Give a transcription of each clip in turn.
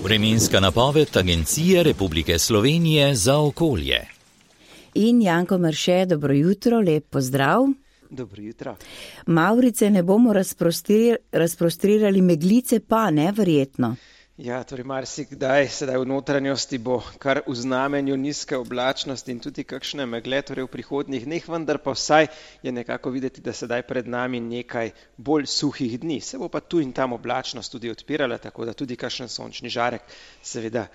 Vremenska napoved Agencije Republike Slovenije za okolje. In Janko Merše, dobro jutro, lep pozdrav. Dobro jutro. Mavrice ne bomo razprostrirali, meglice pa, ne, verjetno. Ja, torej marsikdaj sedaj v notranjosti bo kar v znamenju nizke oblačnosti in tudi kakšne megle, torej v prihodnjih dneh, vendar pa vsaj je nekako videti, da sedaj pred nami nekaj bolj suhih dni. Se bo pa tu in tam oblačnost tudi odpirala, tako da tudi kakšen sončni žarek seveda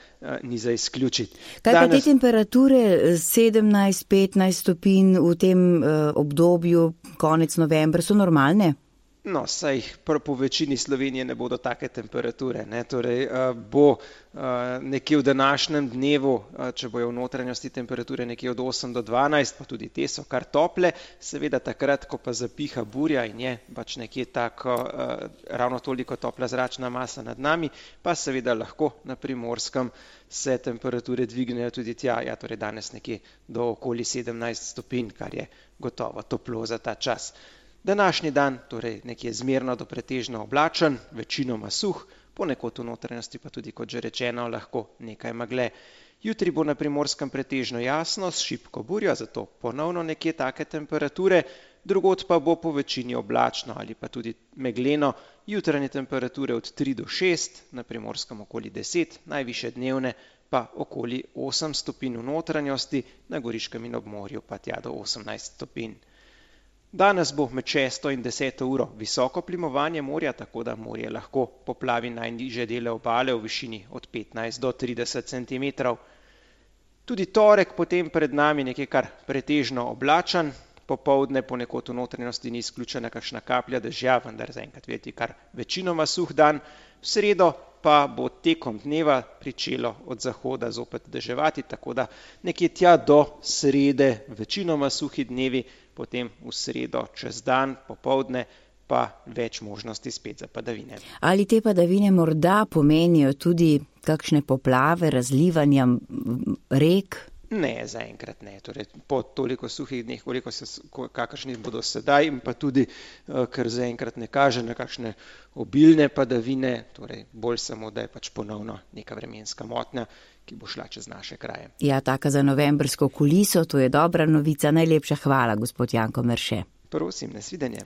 ni za izključiti. Kaj pa te temperature 17-15 stopinj v tem obdobju, konec novembra, so normalne? No, saj po večini Slovenije ne bodo take temperature, ne, torej bo nekje v današnjem dnevu, če bojo v notranjosti temperature nekje od 8 do 12, pa tudi te so kar tople, seveda takrat, ko pa zapiha burja in je pač nekje tako ravno toliko topla zračna masa nad nami, pa seveda lahko na Primorskem se temperature dvignejo tudi tja, ja, torej danes nekje do okoli 17 stopinj, kar je gotovo toplo za ta čas. Današnji dan, torej nekje zmerno do pretežno oblačen, večinoma suh, ponekod v notranjosti pa tudi, kot že rečeno, lahko nekaj megle. Jutri bo na Primorskem pretežno jasno, s šibko burjo, zato ponovno nekje take temperature, drugod pa bo po večini oblačno ali pa tudi megleno, jutranje temperature od 3 do 6, na Primorskem okoli 10, najviše dnevne pa okoli 8 stopinj v notranjosti, na Goriškem in ob morju pa tja do 18 stopinj. Danes bo med 6 in 10 uro visoko plimovanje morja, tako da morje lahko poplavi najnižje dele obale v višini od 15 do 30 cm. Tudi torek potem pred nami nekaj kar pretežno oblačen, popoldne ponekod v notranjosti ni izključena kakšna kaplja dežja, vendar zaenkrat videti kar večinoma suh dan. V sredo pa bo tekom dneva pričelo od zahoda zopet deževati, tako da nekje tja do srede večinoma suhi dnevi, potem v sredo čez dan, popoldne pa več možnosti spet za padavine. Ali te padavine morda pomenijo tudi kakšne poplave, razlivanja rek? Ne, zaenkrat ne. Torej, po toliko suhih dneh, kakršni bodo sedaj, in pa tudi, ker zaenkrat ne kaže na kakšne obilne padavine, torej bolj samo, da je pač ponovno neka vremenska motnja, ki bo šla čez naše kraje. Ja, taka za novembrsko kuliso, to je dobra novica. Najlepša hvala, gospod Janko Merše. Prosim, nasvidenje.